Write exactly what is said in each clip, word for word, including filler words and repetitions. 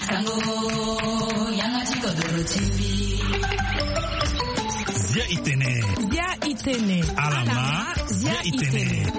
Sango, yanga ti kodoro ti mbi. Zia itene. Zia itene. Alama. Zia itene.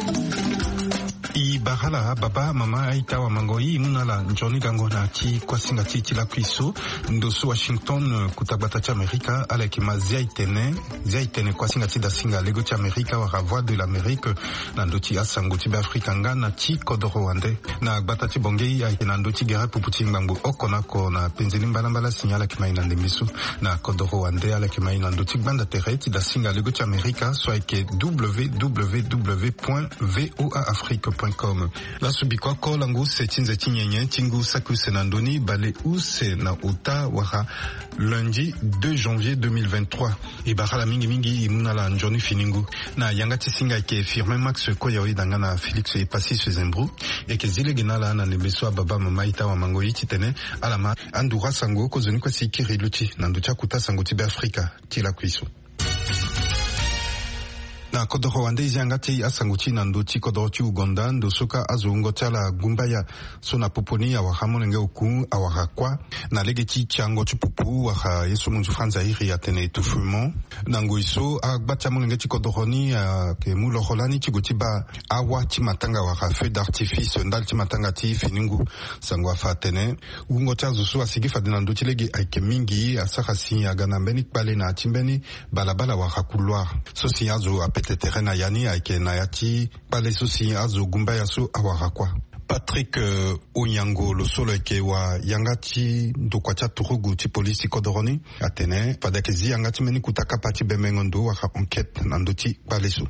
I bara ala baba, mama, aita, wamango, i mu na ala nzoni gango na ti kuasinga ti, ti lakui so. Ndo so Washington, kuta gbata ti Amerika, ala yeke ma Zia itene. Zia itene, kuasinga ti dasinga lego ti Amerika wala Voix de l'Amérique, na ndö ti asango ti Beafrika nga na ti kodoro wande. Na gbata ti Bangui ayeke na ndö ti gere pupu ti ngbangbo oko na oko na penze ni mbalambala si ala yeke ma e na ndembe so. Na kodoro wande ala yeke ma e na ndö ti gbanda tere ti dasinga lego ti Amerika so ayeke www point voa afrique point com. Laso biko oko lango use ti nze ti nyenye ti ngu saki use na ndö ni bale use na ota wala lundi deux janvier deux mille vingt-trois. E bara ala mingi mingi, e mu na ala nzoni fini ngu. Na yanga ti singa ayeke Firmin Max Koyao, e da nga na Félix Epasis Zembrou. E yeke zi lege na ala na ndembe so ababa, mama, aita, wamango, i titene ala ma anduru asango kozoni kue si e kiri luti na ndö ti akuta sango ti Beafrika ti lakui so. Na kodoro wande e zi yanga ti asango ti e na ndö ti kodoro ti Ouganda, ndo so kâ azo wungo ti ala gumbaya so na popo ni awara molenge oku awara kuâ na lege ti tiango ti pupu wala ye so munzu franzi airi atene étouffement. Na ngoi so agba ti amolenge ti kodoro ni ayeke mu loro lani ti gue ti baa awa ti matanga wala feu d'artifice ndali ti matanga ti fini ngu. Sango afa atene wungo ti azo so asigi fade na ndö ti lege ayeke mingi, asara si aga na mbeni kpale na ya ti mbeni balabala wala couloir. So si azo apete tere na ya ni ayeke na ya ti kpale so si azo gumbaya so awara kuâ. Patrick, euh, Onyango, lo so lo yeke wayanga ti ndokua ti aturugu ti polisi ti kodoro ni, atene fade ayeke zi yanga ti mbeni kuta kapa ti bemengo ndo wala enquête na ndö ti kpale so.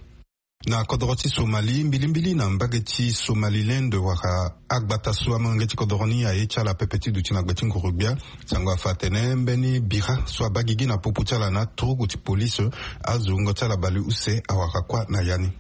Na kodoro ti Somalie, mbilimbili na mbage ti Somaliland wala agbata so amolenge ti kodoro ni aye ti ala pepe ti duti na gbe ti nguru-gbia. Sango afa atene mbeni bira so abaa gigi na popo ti ala na aturugu ti polisi, azo wungo ti ala baleuse awara kuâ na ya ni.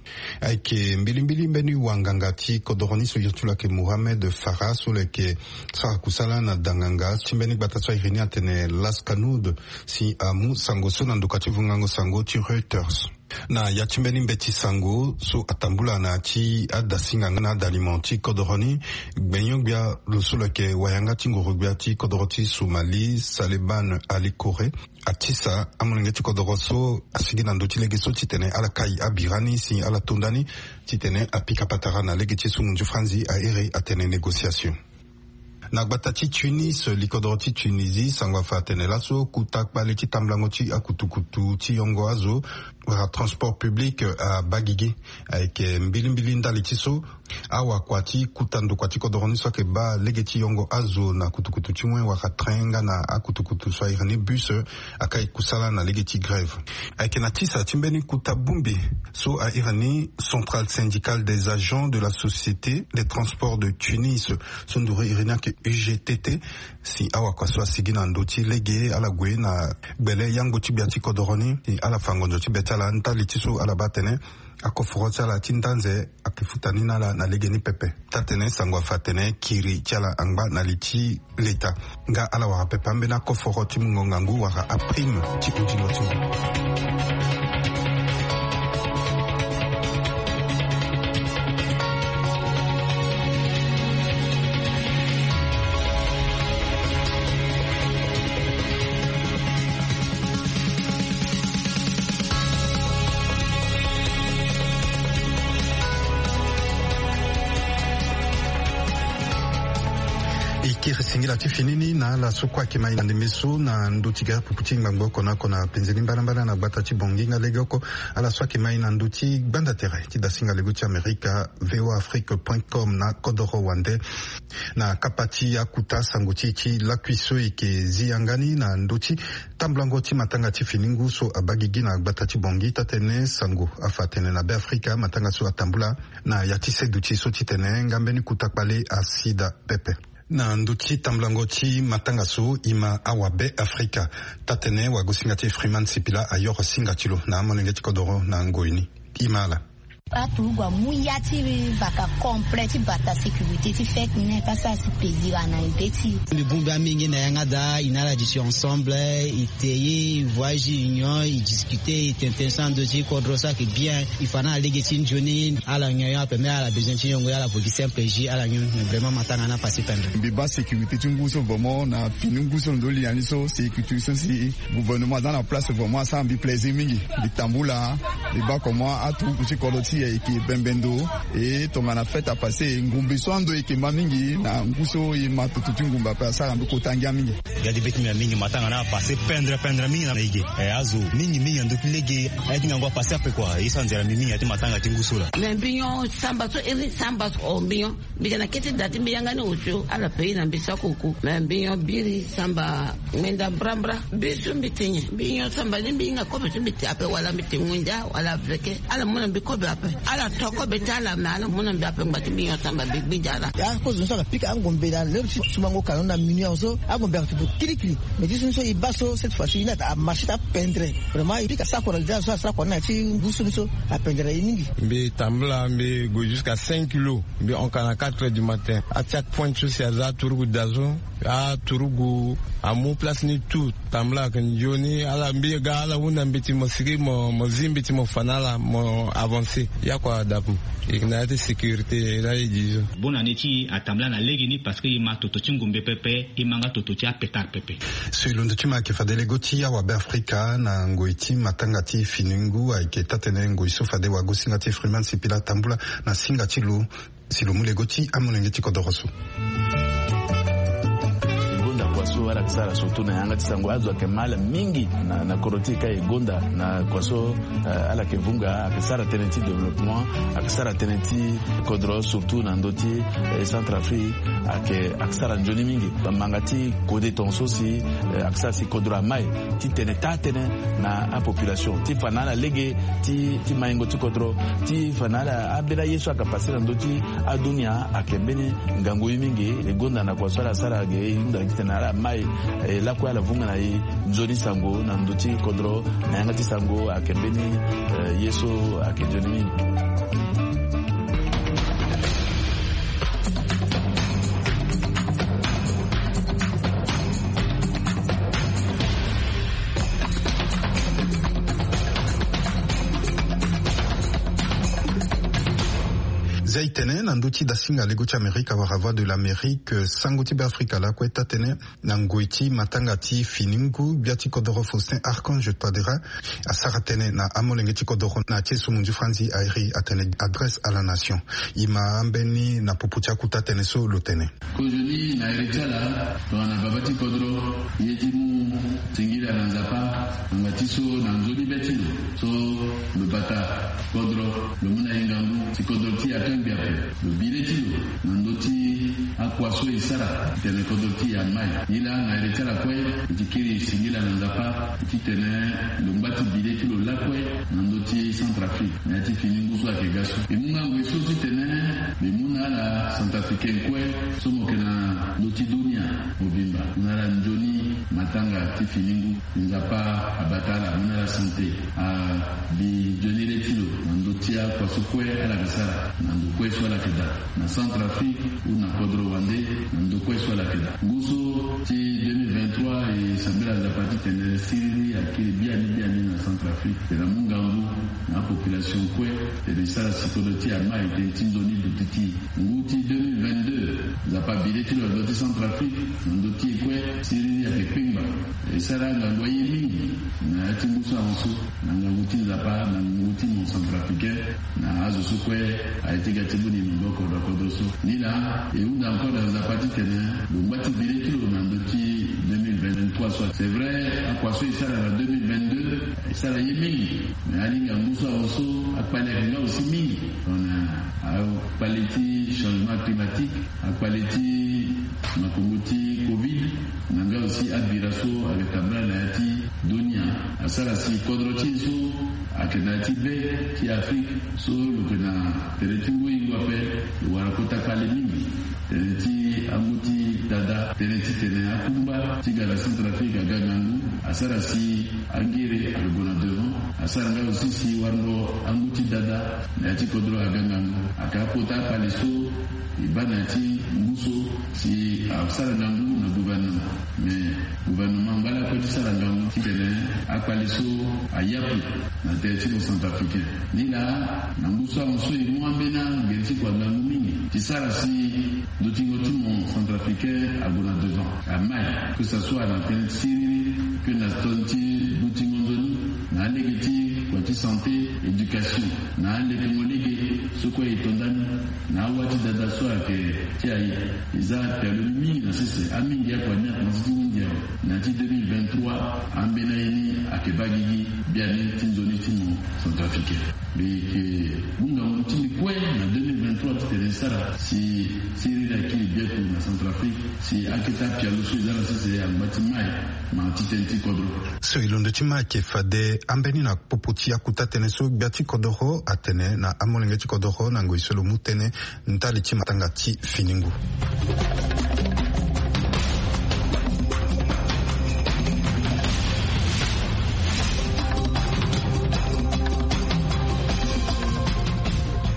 Ayeke mbilimbili mbeni wanganga ti kodoro ni so iri ti lo ayeke Mohamed Farah, so lo yeke sara kusala na danganga ti mbeni gbata so airi ni atene Laskanud, si amu sango so na ndokua ti vungango sango ti Reuters. Na ya ti mbeni mbeti sango so atambula na ya ti adasinga nga na adalimo ti kodoro ni, gbenyo-gbia lo so lo yeke wayanga ti nguru-gbia ti kodoro ti Somalie, Saleban Ali Kore, atisa amolenge ti kodoro so asigi na ndö ti lege so titene ala kai abira ni si ala to nda ni, titene apika patara na lege ti sungu nzu franzi airi atene négociation. Na gbata ti Tunis, likodoro ti Tunisie, sango afa atene laso kuta kpale ti tambulango ti akutukutu ti yongo azo wala transport public abaa gigi. Ayeke mbilimbili ndali ti so awakua ti kuta ndokua ti kodoro ni so ayeke baa lege ti yongo azo na kutukutu ti wen wala train nga na akutukutu so airi ni bus, akai kusala na lege ti grève. Ayeke na tisa ti mbeni kuta bongbi so airi ni Centrale Syndicale des Agents de la Société des Transports de Tunis, so nduru iri ni ayeke U G T T, si awakua so asigi na ndö ti lege ala gue na gbele yango ti gbia ti kodoro ni, si ala fa ngonzo ti be ti ala ndali ti so ala baa atene akoforo ti ala ti ndanze ayeke futa ni na ala na legeni pepe. Taa-tene sango afa atene kiri ti ala angba na li ti leta, nga ala wara pepe ambeni akoforo ti mungo ngangu wala aprime ti hundingo ti ngu. E kiri singila ti fini ni na ala so kue ayeke ma e na ndembe so na ndö ti gere pupu ti ngbangbo oko na oko na penze ni mbalambala na gbata ti Bangui nga legeoko. Ala so ayeke ma e na ndö ti gbanda tere ti dasinga lego ti Amerika, V O A Afrique point com na kodoro wande. Na kapa ti akuta sango ti e ti lakui so e yeke zi yanga ni na ndö ti tambulango ti matanga ti fini ngu so abaa gigi na gbata ti Bangui. Taa-tene sango afa atene na Beafrika matanga so atambula na ya ti seduti so titene nga mbeni kuta kpale asi daa pepe. Na ndö ti tambulango ti matanga so e ma awabe Afrika. Taa-tene wagosinga ti e Freeman Sipila ayoro singa ti lo na amolenge ti kodoro na ngoi ni. E ma ala. Aturugu amu ya ti vaka complet ti bata sécurité ti fête ni, e pasa si plaisir ana e be ti e. Mbi bongbi mingi na yanga daa, e na ala duti ensemble, e te ye, e voyage, union, e discuter, e tene tënë so na ndö ti kodro so ayeke bien. E fa na ala lege ti nzoni, ala nyon nyon ape, même ala besoin ti nyongo, ala vo gi simple jus, ala nyon. Vraiment matanga ni apase pendre. Mbi baa sécurité ti ngu so vraiment na fini ngu so na ndö linya ni so, sécurité so si gouvernement aza na place, vraiment asara mbi plaisir mingi. Mbi tambula, mbi baa comment aturugu ti kodro ti e ayeke bembe ndo. E tongana fête apase, ngumbe so ando e yeke ma mingi na ngu so e ma toto ti ngumbe ape, asara mbi kota ngia mingi. Gade be ti mbi na mingi, matanga ni apase pendre pendre mingi na e ge. E azo mingi mingi na ndö ti lege. Aye ti ngangu apase ape kua. E so anzere mbi mingi na ya ti matanga ti ngu so laa. Me mbi nyon samba so iri samba so, o mbi nyon. Mbi yeke na kete da ti mbi yanga ni osio ala paye na mbi sako oku. Me mbi nyon biri samba ngbenda mbrambra. Biri so mbi te nyen? Mbi nyon samba ni, mbi hinga kobe so mbi te ape, wala mbi te ngunza wala veke. Ala mu na mbi kobe ape. Ala to kobe ti ala, me ala mu na mbi ape ngba ti mbi nyon samba mbi gbinza ala. Ya kozo ni so ala pika angombe na l'heure ti sumango kano na minuit awe so, angombe ayeke toto kirikiri. Me ti so ni so e baa so, cette fois ci e ni ata amarché ti apendre. Vraiment e pika sako na lida so asara kua ni na ya ti ngu so ni so, apendre e mingi. Mbi tambula, mbi gue jusqu'à cinq kilos. Mbi hon ka na quatre heures du matin. Atiak point so si aza aturugu da so. Aturugu amu place ni tout. Tambula ayeke nzoni. Ala mbi ga ala hunda mbeti mo sigi mo, mo zi mbeti mo fa na ala mo avancer. Ya kua adapu. E yeke na ya ti sécurité la e di so. Bonne année ti e atambula na legeni parce que e ma toto ti ngumbe pepe, e ma nga toto ti apetard pepe. So e londo ti ma ayeke fade lego ti awabe Afrika na ngoi ti matanga ti fini ngu ayeke taa-tënë ngoi so fade wagosinga ti Freeman Sipila tambula na singa ti lo. Si lo mu lego ti amolenge ti kodoro so. E gonda kua so ala yeke sara surtout na yanga ti sango, azo ayeke ma ala mingi na, na kodro ti e ka e gonda na kua so, eh, ala yeke vunga, ayeke sara tënë ti développement, ayeke sara tënë ti kodro surtout na ndö ti, eh, Centrafrique, ayeke, ayeke sara nzoni mingi. Manga ti kode tongaso si, eh, ayeke sara si kodro amai ti tene taa-tënë na apopulation ti fa na ala lege ti, ti maingo ti kodro, ti fa na ala ambeni aye so ayeke pase na ndö ti adunia ayeke mbeni ngangu ye mingi. E gonda na kua so ala sara ge, e hunda gi tene ala mai, e lakue ala vunga na e nzoni sango na ndö ti kodro, na yanga ti sango ayeke mbeni, eh, ye so ayeke nzoni mingi. Zia e tene na ndö ti dasinga lego ti Amerika wala Voix de l'Amérique, sango ti Beafrika lakue taa-tënë na ngoi ti matanga ti fini ngu, gbia ti kodoro Faustin Archange Touadéra asara tënë na amolenge ti kodoro na ya ti esumu nzu franzi airi atene adresse à la nation. E ma ambeni na popo ti akuta tënë so lo tene. Kozoni na iri ti ala tongana baba ti kodro, ye ti mu singila na Nzapa, ngbanga ti so na nzoni be ti lo so lo bata kodro, lo mu na e ngangu si kodro ti e akangbi ape. Lo bi le ti lo na ndö ti akua so e sara titene kodro ti e amai. Nilaa na iri ti ala kue, e ti kiri singila na Nzapa titene lo ngba ti bi le ti lo lakue na ndö ti Centrafrique. Na ya ti fini ngu so ayeke ga so, e mu ngangu e so titene mbi mu na ala Centrafricain kue so mo yeke na ndö ti dunia mobimba, na ala nzoni matanga ti fini ngu. Nzapa abata ala, mu na ala santé, abi nzoni le ti lo na ndö ti akua so kue ala yeke sara, na ndo kue so ala yeke daa, na Centrafrique ou na kodro wande, na ndo kue so ala yeke daa. Ngu so ti deux mille vingt-trois, e sambela Nzapa titene siriri akiri biani biani na Centrafrique. Tena mu ngangu na apopulation kue, tena e sara si kodro ti e amai, tënë ti nzoni duti ti e. Ngu ti deux mille vingt-deux, Nzapa abi le ti lo na ndö ti Centrafrique, na ndö ti e kue, siriri ayeke kpengba. E sara ngangu aye mingi na ya ti ngu so ahon so, na ngangu ti Nzapa, na ngangu ti mo Centrafricain, na azo so kue aye ti ga ti boni maboko na kodro so. Nilaa, e hunda encore na Nzapa titene lo ngba ti bi le ti lo na ndö ti deux mille vingt-trois so. C'est vrai, akua so e sara na deux mille vingt-deux, e sara ye mingi. Me alingbi angu so ahon so, akpale ayeke nga aussi mingi. Tongana akpale ti changement climatique, akpale ti makongo ti covid, na nga aussi abira so ayeke tambula na ya ti dunia, asara si kodro ti e so Ayeke na ya ti be ti Afrique so lo yeke na tënë ti ngoi ngoi ape. Lo wara kota kpale mingi. Tënë ti angu ti dada, tënë ti tene akungba ti ga na Centrafrique aga ngangu. Asara si angere alobo na devant. Asara nga aussi si wara ngo angu ti dada na ya ti kodro aga ngangu. Aka kota kpale so e baa na ya ti ngu so si asara ngangu na gouvernement. Mais gouvernement angba lakue ti sara ngangu ti tene akpale so ayapu na tënë ti mo Centrafricain. Ni laa na ngu so ahon so e mu ambeni angere ti kua ngangu mingi ti sara si ndutingo ti mo Centrafricain ague na devant. Amai que ça soit na tënë ti siriri, que na tënë ti ndutingo nzoni, na alege ti kua ti santé, éducation, na alekengo lege so kue e to ndani. Na awa ti dada so ayeke ti aye, e za pialo ni mingi na sese. Amingi akua ni akomanse ti hunzi awe. Na ya ti deux mille vingt-trois ambeni aye ni ayeke baa gigi biani ti nzoni ti mo Centrafricain. Mbi yeke mu ngangu ti mbi kue na deux mille vingt-trois ti tene e sara si siriri akiri biaku na Centrafrique, si akete apialo so e za na sese angba ti mai, ma ti tënë ti kodro. So e londo ti ma ayeke fade ambeni na popo ti akuta tënë so gbia ti kodoro atene na amolenge ti kodoro na ngoi so lo mu tënë ndali ti matanga ti fini ngu.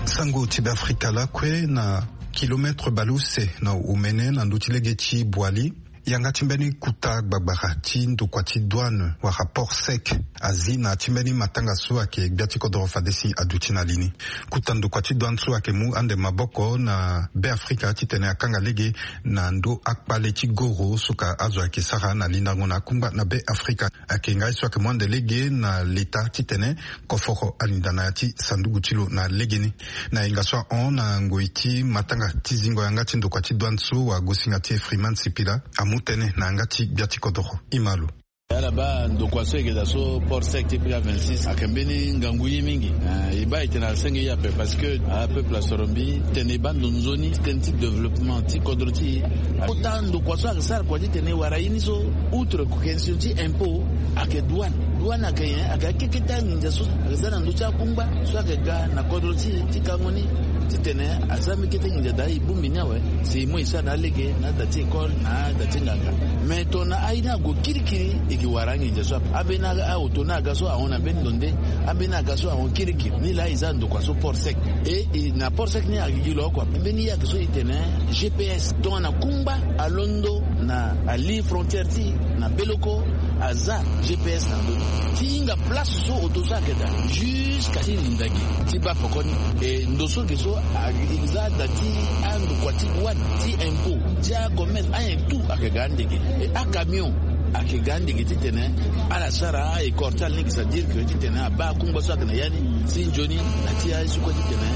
Sango ti Beafrika lakue na kilometre baleuse na omene na ndö ti lege ti Boali. Yanga ti mbeni kuta gbagbara ti ndokua ti douane wala port sec azi na ya ti mbeni matanga so ayeke gbia ti kodoro fade si aduti na li ni. Kuta ndokua ti douane so ayeke mu ande maboko na Beafrika titene akanga lege na ndö akpale ti goro so ka azo ayeke sara na lindango na akungba na Beafrika. Ayeke nga ye so ayeke mu ande lege na leta titene koforo alinda na ya ti sanduku ti lo na legeni. Na hinga so ahon na ngoi ti matanga ti zingo yanga ti ndokua ti douane so wagosinga ti e Freeman Sipila amu tënë na yanga ti gbia ti kodoro. Ima lo. Ala baa ndokua so e yeke daa so port sec ti P K vingt-six ayeke mbeni ngangu ye mingi. Eh, e baa e tene asenge ye ape parce que apeuple asoro mbi tene e baa ndo nzoni ti tënë ti développement ti kodro ti e. Kota ndokua so ayeke sara kua titene e wara ye ni so, outre question ti impôt, ayeke douane. Douane ayeke nyen? Ayeke akeketa nginza so ayeke za na ndö ti akungba so ayeke ga na kodro ti e ti kango ni, titene aza mbeni kete nginza daa e bongbi ni awe, si e mu e sara na alege na ada ti école na ada ti nganga. Mais tongana aye ni ague kirikiri, e yeke wara anginza so ape. Ambeni a- aoto ni aga so ahon na mbeni ndo nde, ambeni aga so ahon kirikiri. Ni laa e za ndokua so port sec. E, e na port sec ni agigi lo oko ape. Mbeni ye ayeke so e tene G P S. Tongana kungba alondo na ali frontière ti e na Beloko, aza G P S na ndö ni ti hinga place so oto so ayeke daa, jusqu'à ti linda gi ti baa pekoni. E ndo so ge so a- e za da ti andokua ti douane, ti impôt, ti acommerce, anyen tout ayeke ga ande ge. E acamion ayeke ga ande ge titene ala sara école ti ala ni ge, c'est-à-dire que titene abaa akungba so ayeke na ya ni si nzoni na ti aye so kue titene,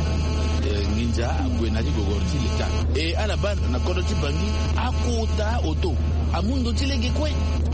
eh, nginza ague na ya ti gogoro ti leta. E ala baa na kodro ti Bangui akota oto amu ndo ti lege kue.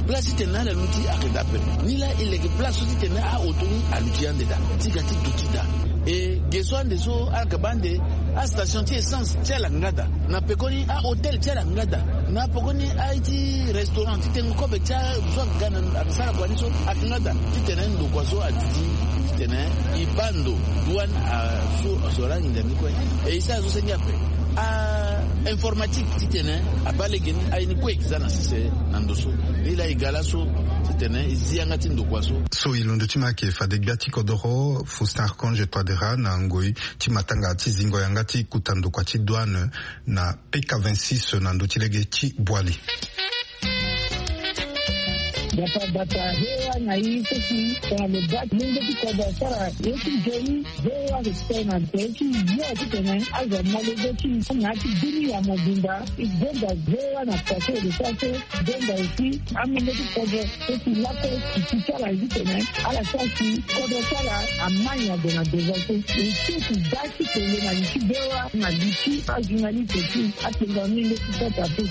Place titene ala luti ayeke daa ape. Ni laa e leke place so titene aoto ni aluti ande daa ti ga ti duti daa. E ge so ande so ala yeke baa ande astation ti essence ti ala nga daa. Na pekoni ahôtel ti ala nga daa. Na pekoni aye ti restaurant ti tengo kobe ti azo so aga na aga sara kua ni so ayeke nga daa. Titene ndokua so aduti titene e baa ndo douane aso asoro anginza ni kue. E e sara so senge ape. A informatique titene abaa lege ni aye ni kue e yeke za na sese na ndo so. Ni laa e ga laso titene e zi yanga ti ndokua so. So e londo ti ma ayeke fade gbia ti kodoro Faustin Archange Touadéra na ngoi ti matanga ti zingo yanga ti kuta ndokua ti douane na P K vingt-six na ndö ti lege ti Boali. Bata bata, V O A na i so si tongana lo baa lenge ti kodro asara ye ti nzoni, V O A ayeke tene na tene ti yo titene azo amolenge ti na ya ti bini ya mobimba. E gonda V O A na pase e de sara so, gonda aussi amolenge ti kodro so si lakue si ti ti ala ye titene ala sara si kodro ti ala amai na gue na devant so. E so si da ti tene na li ti V O A na li ti ajournaliste ti atengua ni nde ti sota ti.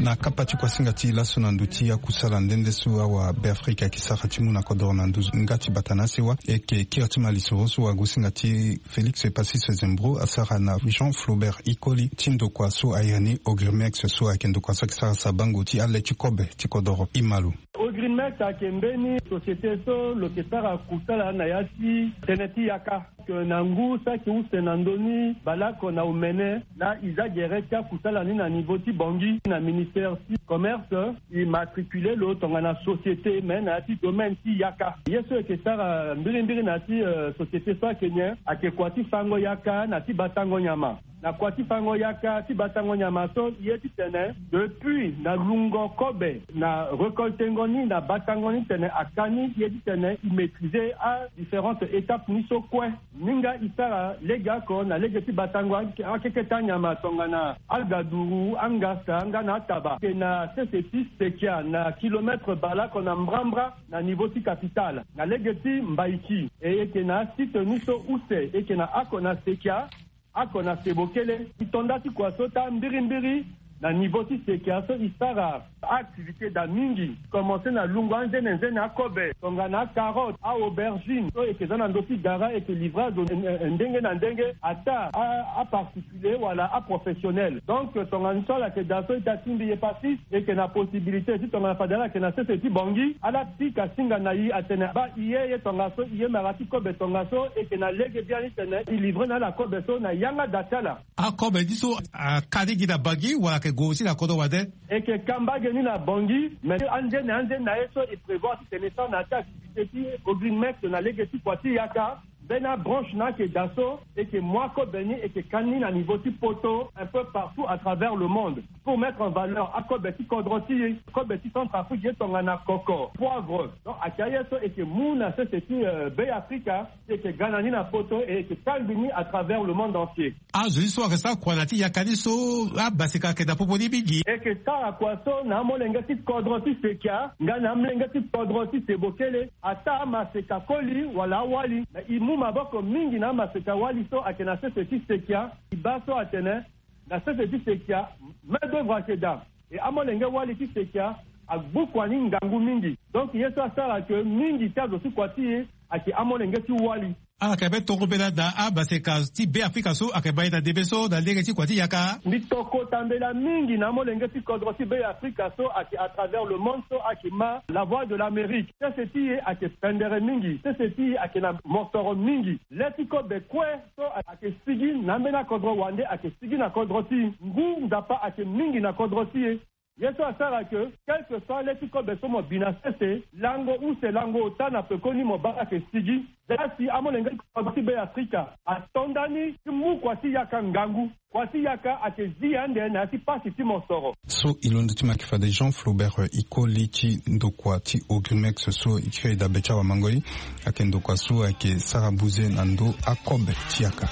Na Kapa ti kuasinga ti laso na ndö ti akusala nde nde so awabeafrika ayeke sara ti mu na kodoro na ndö nga ti bata na asewa, e yeke kiri ti ma lisoro so wagosinga ti Félix Pacis Zembro asara na Jean Flaubert Ikoli ti ndokua so airi ni Ogrimex, so ayeke ndokua so ayeke sara sabango ti ale ti kobe ti kodoro. Imalo. Ogrimex ayeke mbeni société so lo yeke sara kusala na ya ti tënë ti yaka. Ke na ngu saki use na ndö ni baleoko na omene laa e za gere ti akusala ni na niveau ti Bangui na ministère ti commerce. E matricule lo tongana société me na ya ti domaine ti yaka. Ye so e yeke sara mbirimbiri na ya ti, euh, société so ayeke nyen? Ayeke kua ti fango yaka na ti batango nyama. Na kua ti fango yaka ti batango nyama so, ye titene depuis na lungo kobe na récoltengo ni na batango ni titene aka ni, ye titene e maîtriser adifférentes étapes ni so kue. Ni nga e sara legeoko na lege ti batango ake- akeketa nyama tongana agaduru, angasa nga na ataba. E yeke na sese ti Sekia na kilomètre baleoko na mbrambra na niveau ti capitale na lege ti Mbaiki. E yeke na asite ni so use e yeke na oko na Sekia, oko na Sebokele. E to nda ti kua so taa mbirimbiri na niveau ti Sekia so e sara activité daa mingi. Commencer na lungo anzenenzene akobe tongana acarotte, aaubergine so e yeke za na ndö ti gara, e yeke livrer azo, eh, eh, ndenge na ndenge, ataa a- aparticulier wala aprofessionnel. Donc tongana so ala yeke daa so e ta tingbi ye pasi, e yeke na possibilité ti tongana fade ala yeke na sese ti Bangui, ala pika singa na e atene baa e ye, ye tongaso, e ye mara ti kobe tongaso, e yeke na lege biani titene e livrer na ala kobe so na yanga daa ti ala. Akobe ni so aka ni gi na Bangui wala ayeke gue aussi na kodro wande? E yeke ka mbage ni na Bangui, mais anzene anzene na ye so e prévoir titene e sara na ya ti activité ti Ogrimex na lege ti kua ti yaka. Mbeni abranche ni ayeke daa so, e yeke mu akobe ni, e yeke ka ni na niveau ti poto, un peu partout à travers le monde, pour mettre en valeur akobe ti kodro ti e, kobe ti Centrafrique, ye tongana koko, poivre. Donc ayeke aye so e yeke mu na sese ti, euh, Bê-Afrika, e yeke ga na ni na poto, e yeke kangbi ni à travers le monde entier. Azo ni so ayeke sara kua na ya ti yaka ni so, amaseka ayeke na popo ni mingi. E yeke sara kua so na amolenge ti kodro ti Sekia nga na amolenge ti kodro ti Sebokele, ataa amaseka koli wala awali. Me e mu maboko mingi na amaseka wali so ayeke na sese ti Sekia. E baa so atene na sese ti Sekia, main d'œuvre ayeke daa. E amolenge wali ti Sekia agbu kua ni ngangu mingi. Donc ye so asara ke mingi ti azo ti kua ti e ayeke amolenge ti wali. Ala yeke be tongo mbela daa amaseka ti Bê-Afrika so ayeke ma e na ndembe so na lege ti kua ti yaka. Mbi to kota mbela mingi na amolenge ti kodro ti Bê-Afrika so ayeke à travers le monde so ayeke ma La Voix de l'Amérique. Sese ti e ayeke pendere mingi, sese ti e ayeke na mosoro mingi. Le ti kobe kue so ayeke sigi na ambeni akodro wande ayeke sigi na kodro ti e. Ngu Nzapa ayeke mingi na kodro ti e. Ye so asara ke, quel que soit le ti kobe so mo bi na sese, lango use lango ota na pekoni mo baa ayeke sigi. Za si amolenge ti kodro ti Bê-Afrika ato ndani ti mu kua ti yaka ngangu. Kua ti yaka ayeke zi ande na ya ti pasi ti mosoro. So e londo ti ma yeke fade Jean Flaubert, eh, Ikoli ti ndokua ti Ogrimex so e kiri dabe ti awamangoi. Ayeke ndokua so ayeke sara buze na ndö akobe ti yaka.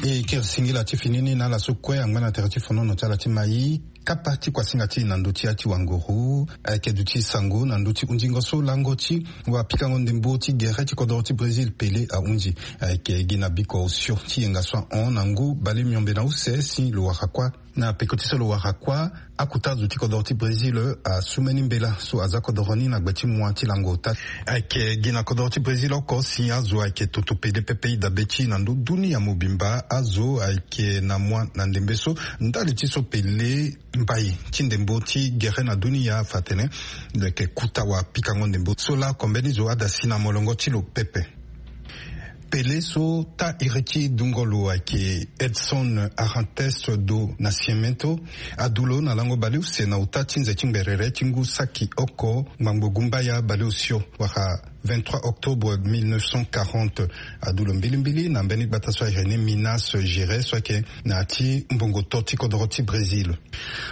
E kiri singila ti fini ni na ala so kue angba na tere ti fonono ti ala ti mai. Kapa ti kuasinga ti e na ndö ti ya ti wanguru ayeke duti sango na ndö ti hundingo so lango ti wapikango ndembo ti gere ti kodoro ti Brésil Pelé ahunzi. Ayeke gi na biko osio ti yenga so ahon na ngu bale miombe na use si lo wara kuâ. Na peko ti so lo wara kuâ, akota zo ti kodoro ti Brésil asu mbeni mbela so aza kodoro ni na gbe ti mua ti lango ota. Ayeke gi na kodoro ti Brésil oko si azo ayeke toto pele pepe e dabe ti e na ndö dunia mobimba. Azo ayeke na mua na ndembe so ndali ti so pele mbai ti ndembo ti gere na dunia afa atene lo yeke kuta wapikango ndembo so laa kombeni zo ada si na molongo ti lo pepe. Pelé so taa iri ti dungo lo ayeke Edson Arantes do Nascimento, adu lo na lango baleuse na ota ti nze ti ngberere ti ngu saki oko ngbangbo gumbaya baleosio, wala vingt-trois octobre mille neuf cent quarante. Adu lo mbilimbili na mbeni gbata so ayeke ni Minas Gerais so ayeke na ya ti mbongo to ti kodoro ti Brésil.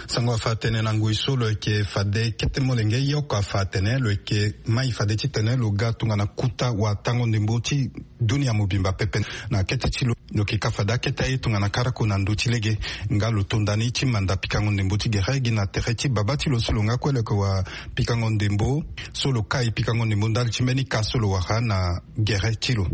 Sango afa atene na ngoi so lo yeke fade kete molenge ye oko afa atene lo yeke mai fade titene lo ga tongana kuta watango ndembo ti Dunia mobimba pepe. Na kete ti lo, lo yeke ka fade akete aye tongana karako na ndö ti lege. Nga lo tonda ni ti manda pikango ndembo ti gere gi na tere ti babâ ti lo so lo nga kue lo yeke wa pikango ndembo, so lo kai pikango ndembo ndali ti mbeni ka so lo wara na gere ti lo.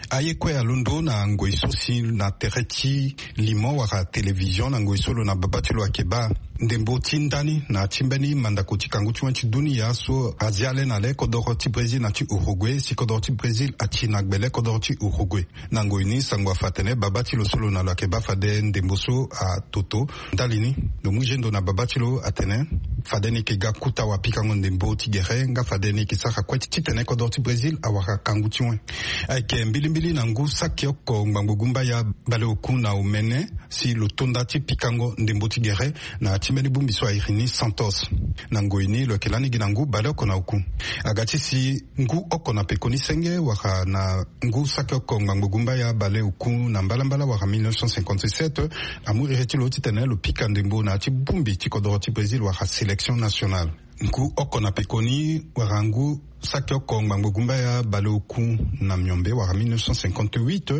Aye kue alondo na ngoi so si na tere ti limo wala télévision na ngoi so lo na babâ ti lo ayeke baa ndembo ti ndani na ti mbeni mandako ti kangu ti wen ti dunia so azia le na le kodoro ti Brésil na ti Uruguay, si kodoro ti Brésil ati na gbe le kodoro ti Uruguay. Na ngoi ni sango afa atene babâ ti lo so lo na lo ayeke baa fade ndembo so atoto. Ndali ni, lo mu zendo na babâ ti lo atene fade ni yeke ga kuta wapikango ndembo ti gere nga fade ni yeke sara kue titene kodoro ti Brésil awara kangu ti wen. Ayeke mbilimbili na ngu saki oko ngbangbo gumbaya baleoku na omene si lo tonda ti pikango ndembo ti gere na ti mbeni bongbi so a iri ni Santos. Na ngoi ni lo yeke lani gi na ngu baleoko na oku. Aga ti si ngu oko na pekoni senge wala na ngu saki oko ngbangbo gumbaya baleoku na mbalambala wala mille neuf cent cinquante-sept, amu iri ti lo titene lo pika ndembo na ya ti bongbi ti kodoro ti Brésil wala sélection nationale. Ngu oko na pekoni wala ngu saki oko ngbangbo gumbaya baleoku na miombe wala mille neuf cent cinquante-huit,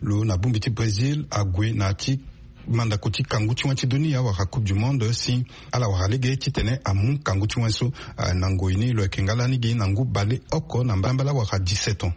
lo na bongbi ti Brésil ague na ya ti mandako ti kangu ti wen ti dunia wala Coupe du Monde si ala wara lege titene amu kangu ti wen so. Ah, na ngoi ni lo yeke nga lani gi na ngu baleoko na mbalambala wala dix-sept ans.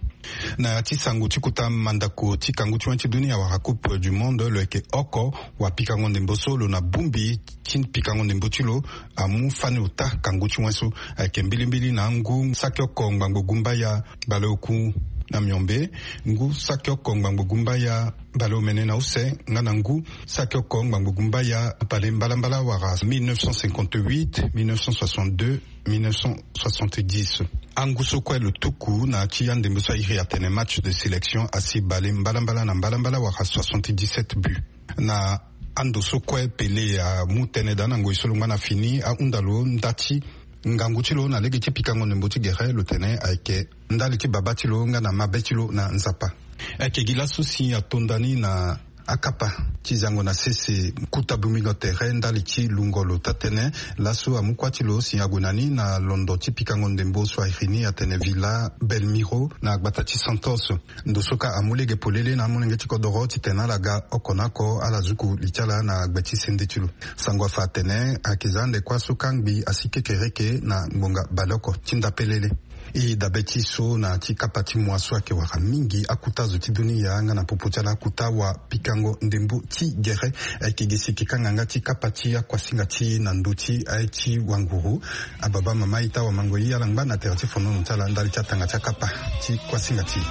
Na ya ti sango ti kota mandako ti kangu ti wen ti dunia wala Coupe du Monde, lo yeke oko wapikango ndembo so lo na bongbi ti pikango ndembo ti lo amu fani ota kangu ti wen so. Ayeke mbilimbili na ngu saki oko ngbangbo gumbaya baleoku na miombe, ngu saki oko ngbangbo gumbaya baleomene na use nga na ngu saki oko ngbangbo gumbaya bale mbalambala wala mille neuf cent cinquante-huit, mille neuf cent soixante-deux, mille neuf cent soixante-dix. Angu so kue lo tuku na ya ti andembo so a iri atene match de sélection asi bale mbalambala na mbalambala wala soixante-dix-sept buts. Na ando so kue Pelé amu tënë daa na ngoi so lo ngba na fini, ahunda lo nda ti ngangu ti lo na lege ti pikango ndembo ti gere, lo tene ayeke ndali ti babâ ti lo nga na mabe ti lo na Nzapa. Ayeke gi laso si atonda ni na akapa ti zango na sese kuta bongbi lo tere ndali ti lungo lo taa-tënë. Laso amu kuâ ti lo si ague na ni na londo ti pikango ndembo so a iri ni atene Vila Belmiro na gbata ti Santos. Ndo so kâ amu lege polele na amolenge ti kodoro titene ala ga oko na oko ala zuku li ti ala na gbe ti sende ti lo. Sango afa atene ayeke za ande kuâ so kangbi asi kekereke na ngbonga baleoko ti ndapelele. E dabe ti so na ti kapa ti moi so ayeke wara mingi akuta zo ti dunia nga na popo ti ala akuta wapikango ndembo ti gere. Ayeke gi si e yeke kanga nga ti kapa ti akuasinga ti e na ndö ti aye ti wanguru. Ababa mama ita wamango ye ala ngba na tere ti fonono ti ala ndali ti atanga ti akapa ti kuasinga ti e.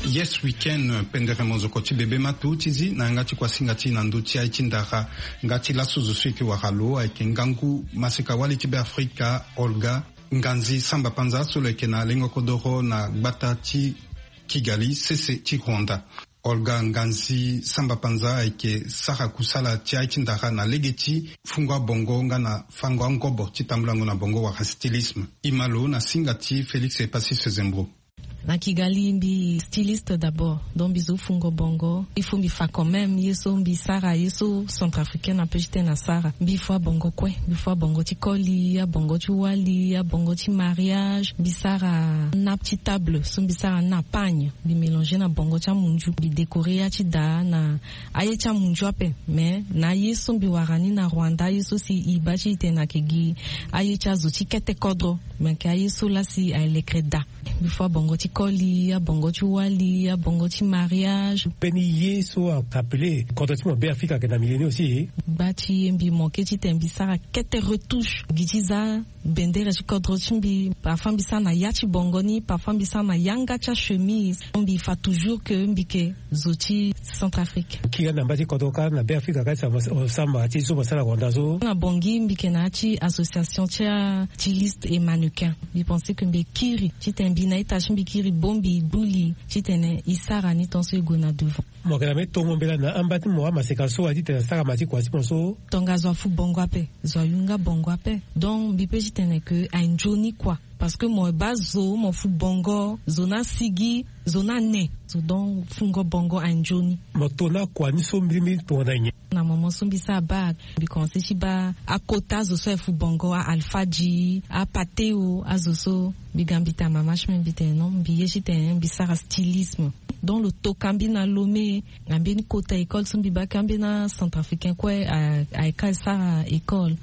Yes, weekend pendere mozoko ti bebe ma to ti zi na yanga ti kuasinga ti na ndö ti aye ti ndara. Nga ti laso zo so e yeke wara lo ayeke ngangu maseka wali ti Beafrika, Olga Nganzi Samba Panza, so lo yeke na lengo kodoro na gbata ti Kigali, sese ti Rwanda. Olga Nganzi Samba Panza ayeke sara kusala ti aye ti ndara na lege ti fungo abongo nga na fango angobo ti tambulango na bongo wala stylisme. E ma lo na singa ti Félix Epasis Zembro. Na Kigali mbi styliste d'abord, donc mbi zo fungo bongo. Il faut mbi fa quand même ye so mbi sara, ye so centrafricaine ape ti tene asara. Mbi fo abongo kue, mbi fo abongo ti koli, abongo ti wali, abongo ti mariage. Mbi sara nappe ti table, so mbi sara na pagne. Mbi mélanger na bongo ti amunzu, mbi décorer ya ti daa na aye ti amunzu ape. Mais na aye so mbi wara ni na Rwanda, aye so si e baa ti e tene ayeke gi aye ti azo ti kete kodro, mais ayeke aye so laa si aye lekere daa. Mbi fo abongo ti koli, abongo ti wali, abongo ti mariage. Mbeni ye so a appelé kodro ti mo Beafrika ayeke na milieu ni aussi. Gba ti ye mbi manqué titene mbi sara kete retouche gi ti za bendere ti kodro ti mbi. Parfois mbi sara na ya ti bongo ni, parfois mbi sara na yanga ti achemise. Mbi fa toujours que mbi yeke zo ti Centrafrique. Kiri na mba ti kodro kâ na Beafrika kâ ti sama ti so mo sara na Rwanda so. Na Bangui mbi yeke na ya ti association ti a ti liste et mannequin. Mbi pensé que mbi kiri titene mbi na ita ti mbi kiri bongbi gbu li titene e sara ni tant so e gue na devant. Mo yeke na mbeni tongo mbela na amba ti mo amaseka so a titene asara ma ti kua ti mo so. Tongaso afu bongo ape, zo ayu nga bongo ape. Donc mbi pe titene que aye nzoni kua. Parce que mo baa zo mo fu bongo, zo ni asigi, zo ni ane. Zo donc fungo bongo aye nzoni. Mo to na kua ni so mbirimbiri tongana nyen? Na moment so mbi sara bac mbi commencé ti baa akota azo so aye fu bongo, a Alpha G, a Pateo, azo so. Mbi ga mbi tene mama ti mbi, mbi tene non, mbi ye titene mbi sara stylisme. Donc lo toka mbi na Lomé. Na mbeni kota école so mbi baa kâ mbeni acentrafricain kue a, ayeke sara école.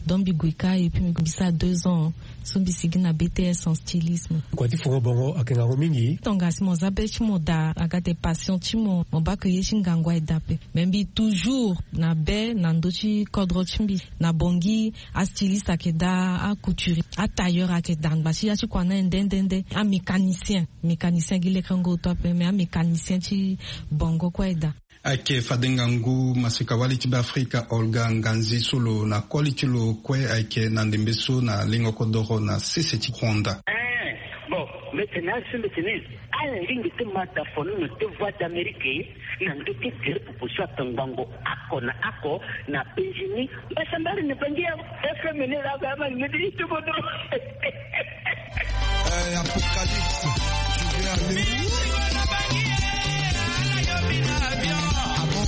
Donc mbi gue kâ et puis mbi sara deux ans so mbi sigi na B T S en stylisme. Kua ti fungo bongo ayeke ngangu mingi. Tongana si mo za be ti mo daa, aga ate passion ti mo, mo baa ke ye ti ngangu aye daa ape. Mais mbi toujours na be na ndö ti kodro ti mbi. Na Bangui astyliste ayeke daa, acouturier, atailleur ayeke daa, angba ti ya ti kua ni aye nde nde nde. Amécanicien, mécanicien gi lekerengo oto ape, mais amécanicien ti bongo kue aye daa. Ayeke fade ngangu maseka-wali ti Beafrika Olga Nganzi so lo na koli ti lo kue ayeke na ndembe so na lengo kodoro na sese ti Rwanda. Eh, bon, mbi tene asi mbi tene ala lingbi ti ma da fono na te Voix d'Amérique na ndö ti gere popo so ake ngbongo oko na oko na penzi ni. Mbasambari na Bangui ya F M ni la ba ma ni mbi ti bodo. Eh, Apocalypse, je vais aller où? Ah bon?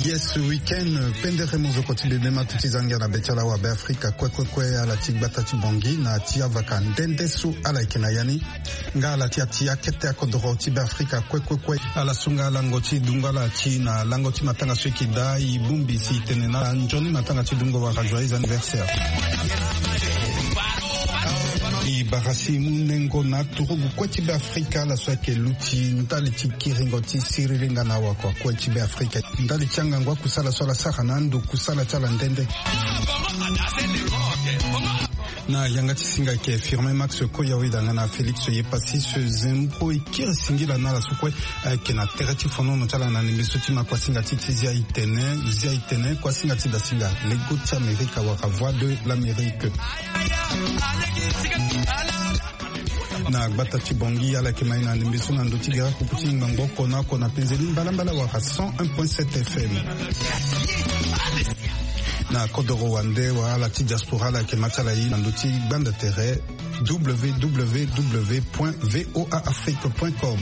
Yes, week-end pendere mozoko ti bebe ma tu ti zangia na be ti ala wa Beafrika kue kue kue, ala ti gbata ti Bangui na ti avaka nde nde so ala yeke na ya ni. Nga ala ti atia kete akodoro ti Beafrika kue kue kue. Ala so nga lango ti dungo ala ti na lango ti matanga so e yeke daa, e bongbi si e tene na ala nzoni matanga ti dungo wala joyeux anniversaire. E bara si e mu nengo na aturugu kue ti Beafrika ala so ayeke luti ndali ti kiringo ti siriri nga na awakua kue ti Beafrika. Ndali ti angangu akusala so ala sara na ando kusala ti ala nde nde. Na yanga ti singa ayeke Firmin Max Koya Weda nga na Félix Yepassis Zembo e kiri singila na ala so kue ayeke na tere ti fonono ti ala na ndembe so ti ma kuasinga ti ti zia e tene, zia e tene, kuasinga ti dasinga, lego ti Amerika wala Voix de l'Amérique. Na gbata ti Bangui ala yeke ma e na ndembe so na ndö ti gere akuku ti ngbangbo oko na oko na penzeli mbalambala wala cent un point sept F M. Na kodoro wande wala ala ti diaspora ala yeke ma ti ala ye na ndö ti gbanda tere W W W point V O A Afrique point com.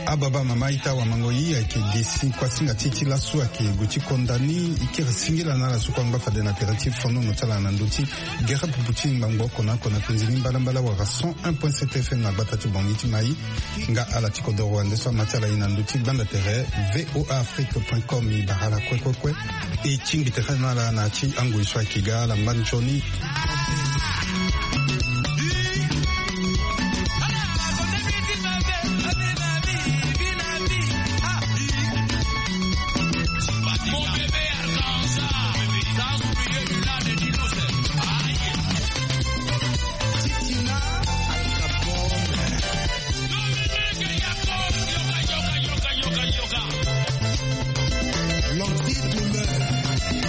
Ababa mama ita wamango yi ayeke ge si kuasinga ti e ti laso ayeke gue ti konda ni. E kiri singila na ala so kue angba fade na tere ti fonono ti ala na ndö ti gere pupu ti ngbangbo oko na oko na penzi ni mbalambala wala cent un point sept F M na gbata ti Bangui ti Maï. Nga ala ti kodoro wande so ama ti ala e na ndö ti gbanda tere V O A Afrique point com. E bara ala kue kue kue. E tingbi tere na ala na ya ti angoi so ayeke ga ala ngba nzoni.